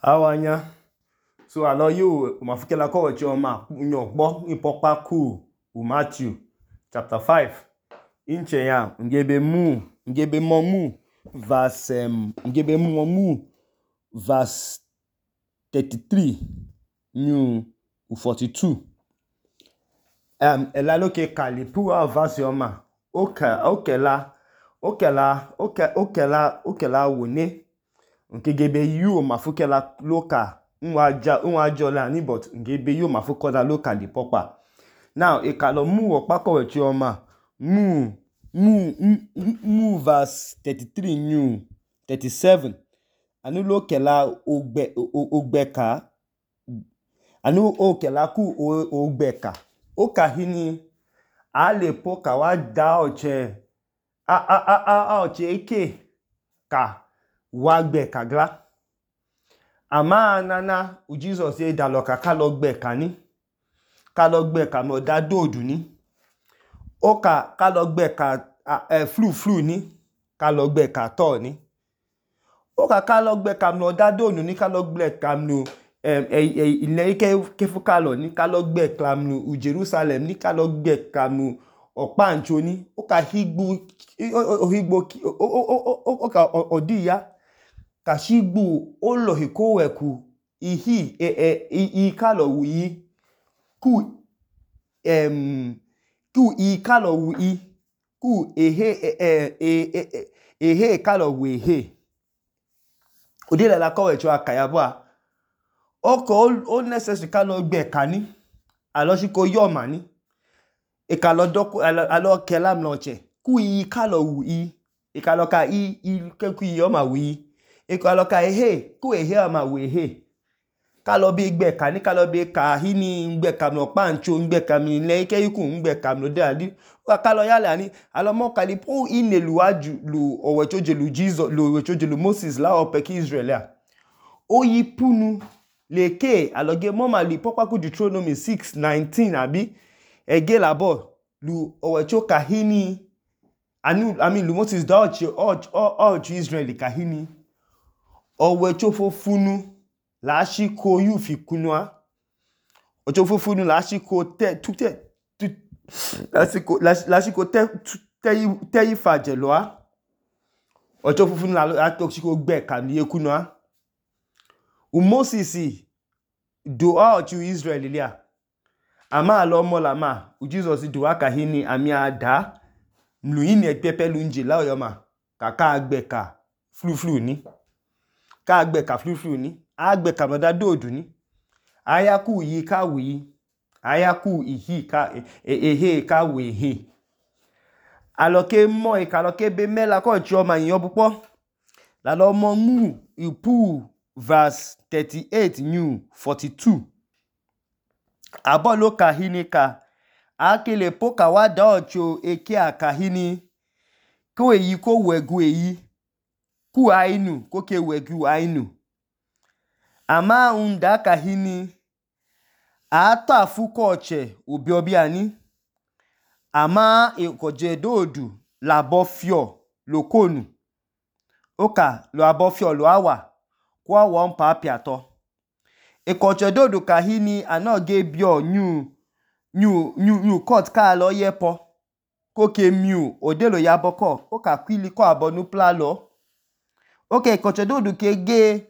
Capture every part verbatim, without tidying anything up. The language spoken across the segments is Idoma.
Awanya. So alo yo mafukela ko wechi oma nyo gbo ipokpa ku u Matthew chapter five. Inche ya ngebe mu ngebe mo mu verse um, ngebe mu mu verse thirty-three new forty-two. Um elaloke kalipu a verse oma. Oka okela okela oke okela okela wone. Nkegebe yu mafukela loka nwaja nwajola ni but ngebe yu mafukola loka di popa. Now ekalo mu okpako wechi oma mu mu mu verse thirty-three new thirty-seven. Anu lokela ogbe ogbeka anu okela ku ogbeka. Oka hini ale poka wa da oche a a a a oche eke ka wagbe kagla. Ama nana u Jesus ye daloka kalogbe kani. Kalogbe ka mo da dodu ni. Oka kalogbe ka uh, flu flu ni. Kalogbe ka to ni. Oka kalogbe ka mo da dodu ni kalogbe ka mo ile ike kefu kalo ni kalogbe ka mo u Jerusalem ni kalogbe ka mo okpancho ni. Oka higbu ohigbo oka odiya kashigbu olohiko weku ihi e e i kalo wi ku em ku i kalo wi ku ehe e e ehe kalo wi he. Odile la ko wecho akayabwa. Oko o necessary kalo gbe kani alo shiko yoma ni. E kalo doku alo kela mloche ku i kalo wi e kalo ka i i ku i yoma wi. E kalo ka ehe ku ehe ama we he. Kalo bi gbe kani kalo bi ka hini ngbe ka mo pancho ngbe ka mi le ike yiku ngbe ka mo de adi. Oka kalo yale ani alo mo kalipu inelu aju lu owechoje lu Jesus lu owechoje lu Moses la opeki Israel ya. Oyi punu leke aloge moma li pokwaku Deuteronomy six nineteen abi ege labo lu owecho kahini anu I mean lu Moses da ochi ochi ochi Israel kahini owecho fofunu la shiko yu fikunwa ocho fofunu la shiko te tute la shiko la shiko te te te ifaje loa ocho fofunu la la shiko gbe kami ekunwa u Moses do ochi Israel lia ama alo mo la ma u Jesus do aka hini ami ada mlu ini epepe lunje la oyoma kaka agbe ka flu flu ni ka agbe ka flu flu ni agbe ka moda dodu ni ayaku yi ka wi ayaku ihi ka ehe ka we he aloke mo e kaloke be mela ko chioma yin obupo la lo mo mu ipu verse thirty-eight new forty-two. Abolo kahini ka akele poka wa da ocho eke akahini ko eyi ko wegu eyi ku ainu ko ke wegu ainu ama unda kahini ata fuko oche obi obi ani ama ekoje dodu labo fio lokonu oka lo abo fio lo awa kwa won pa piato ekoje dodu kahini anoge bio new new new new court ka lo yepo ko ke miu odelo yaboko oka kwili ko abonu pla lo oke ekoje dodu ke ge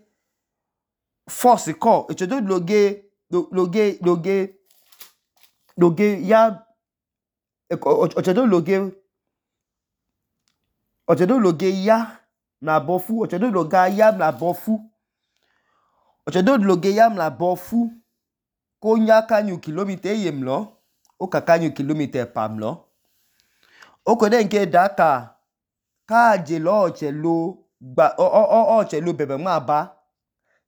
force ko ekoje dodu loge loge loge loge ya ekoje dodu loge oje dodu loge ya na bofu oje dodu loga ya na bofu oje dodu loge ya na bofu ko nya kanyu kilometer yemlo o ka kanyu kilometer pamlo oko de nke daka ka je lo oche lo gba o o oche lo bebe ma ba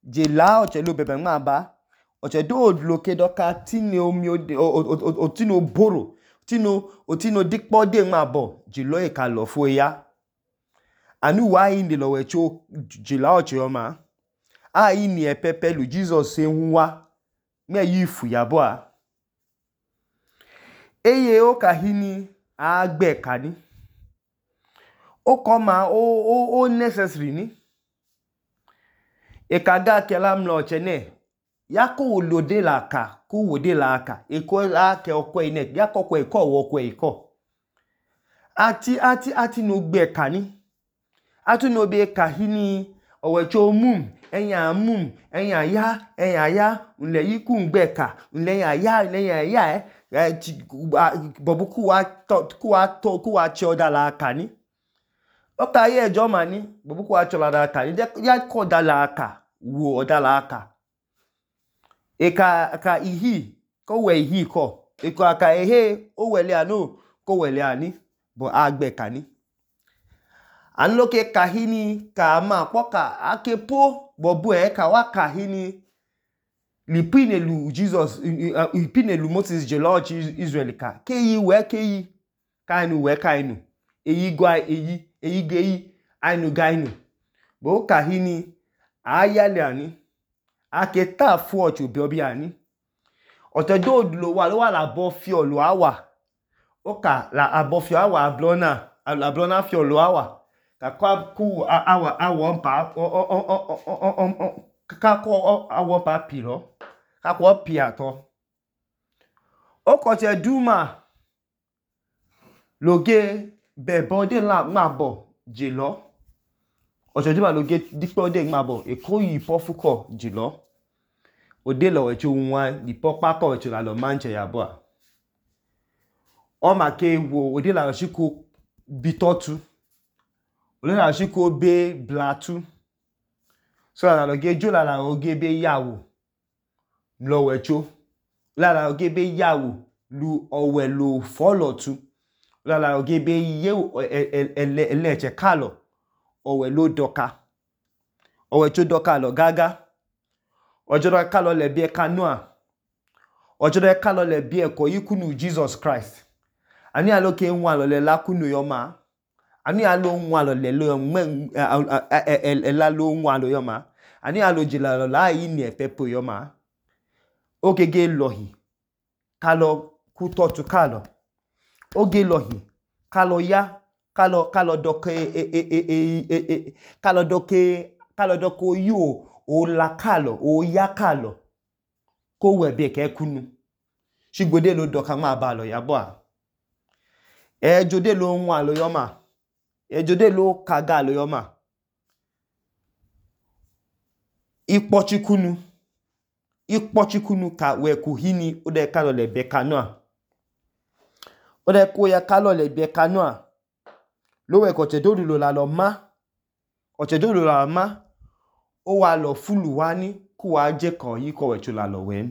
je la oche lo bebe ma ba oche dodu loke doka tini omi otino boro tino otino dikpo de ma bo je lo e ka lo fo ya anu wa inde lo wecho je la oche oma a ini e pepe lu Jesus se nwa me yifu yabo a eye o kahini agbe kani o koma o o o necessary ni ekaga kela mlo chene yako wolode la ka ku wode la ka eko la ke okwe ine yako kwe ko wo kwe iko ati ati ati no gbe kani atu no be ka hini owecho mum enya mum enya ya enya ya nle yiku ngbe ka nle ya ya nle ya ya eh bobu ku wa to ku wa to ku wa choda la kani oka ye ejo mani bobu ku wa chola la kani ya ko da la ka wo oda la ka eka ka ihi ko we ihi ko eko aka ehe o wele anu ko wele ani bo agbe kani anloke kahini ka ma poka akepo bobu e ka wa kahini lipinelu Jesus lipinelu Moses je Lord Israel ka keyi we keyi kainu we kainu eyi gwa eyi eyi geyi ainu gainu bo kahini ayale ani aketa fu ocho bi obi ani otedo lo wa lo wa la bo fi olu awa oka la abo fi awa ablona ablona fi olu awa ka kwa ku awa awa pa ka ko awa pa piro ka ko pi ato oko te duma loge be bode la mabo jelo ojo duma loge dipo de mabo eko yi pofuko jelo ode lo wecho nwa dipo pa ko wecho la lo manche ya bo o ma ke wo ode la shiko bitotu ode la shiko be blatu so la lo ge jo la la oge be yawo lo wecho la la oge be yawo lu owe lo follow tu la la oge be ye ele ele che kalo owe lo doka owe cho doka lo gaga ojo do kalo le bi e kanua ojo do kalo le bi e ko yikunu Jesus Christ ani aloke nwa lo le lakunu yo ma ani alo nwa lo le lo ela lo nwa lo yo ma ani alo jila lo la yi ni epepo yo ma ogege lohi kalo ku totu kalo oge lohi kalo ya kalo kalo doke e e e e kalo doke kalo doko yo o la kalo o ya kalo ko we be ke kunu shigbode lo doka ma ba lo ya bo a e jode lo nwa lo yo ma e jode lo kaga lo yo ma ikpochikunu ikpochikunu ka we ku hini o de kalo le be kanua o de ko ya kalo le be kanua lo we ko te dodu lo la lo ma o te dodu lo la ma o wa lo fulu wa ni ku wa je kan yi ko we chu la lo we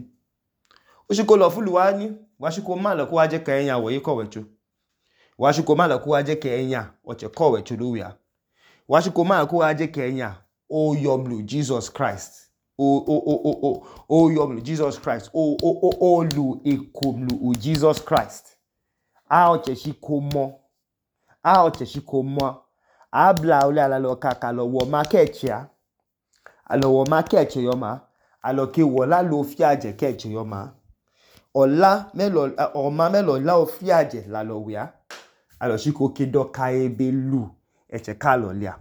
o shi ko lo fulu wa ni wa shi ko ma lo ku wa je kan eyan wo yi ko we chu wa shi ko ma lo ku wa je kan eyan o che ko we chu lo wi a wa shi ko ma lo ku wa je kan eyan o yomlu Jesus Christ o o o o o o yomlu Jesus Christ o o o o lu ekomlu u Jesus Christ a o che shi ko mo a o che shi ko mo abla o la lo kaka lo wo market ya alo wo market yo ma alo ke wo la lo fi aje ke yo ma ola melo o ma melo la o fi aje la lo wi a alo shi ko ke do ka ebe lu e che ka lo lia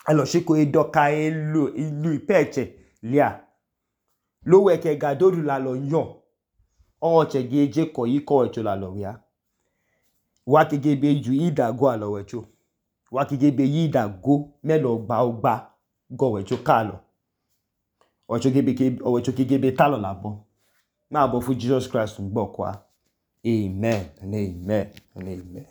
alo shi ko e do ka e lu ilu ipeche lia lo we ke ga dodu la lo yon o che geje ko yi ko echo la lo wi a wa ke ge be ju ida go alo we cho wa ke ge be ida go melo gba ogba go we cho kalo o cho ge be ke o cho ke ge be talo la bo ma bo fu Jesus Christ ngbo kwa amen and amen and amen.